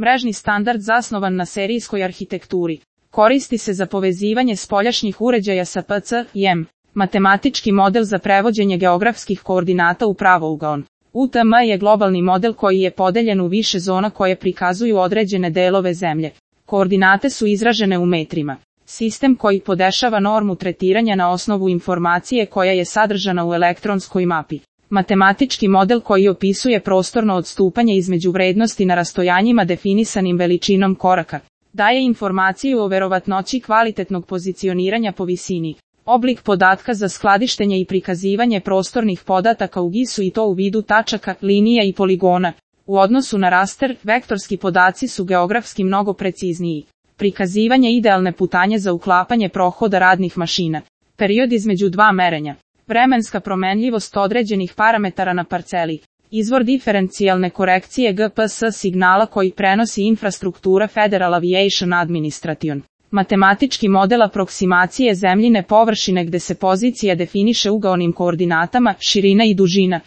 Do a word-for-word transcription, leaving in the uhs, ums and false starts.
Mrežni standard zasnovan na serijskoj arhitekturi. Koristi se za povezivanje spoljašnjih uređaja sa P C I M. Matematički model za prevođenje geografskih koordinata u pravougaon. U T M je globalni model koji je podeljen u više zona koje prikazuju određene delove zemlje. Koordinate su izražene u metrima. Sistem koji podešava normu tretiranja na osnovu informacije koja je sadržana u elektronskoj mapi. Matematički model koji opisuje prostorno odstupanje između vrednosti na rastojanjima definisanim veličinom koraka. Daje informaciju o verovatnoći kvalitetnog pozicioniranja po visini. Oblik podatka za skladištenje i prikazivanje prostornih podataka u G I S-u i to u vidu tačaka, linija i poligona. U odnosu na raster, vektorski podaci su geografski mnogo precizniji. Prikazivanje idealne putanje za uklapanje prohoda radnih mašina. Period između dva merenja. Vremenska promenljivost određenih parametara na parceli. Izvor diferencijalne korekcije G P S signala koji prenosi infrastruktura Federal Aviation Administration. Matematički model aproksimacije zemljine površine gde se pozicija definiše ugaonim koordinatama, širina i dužina.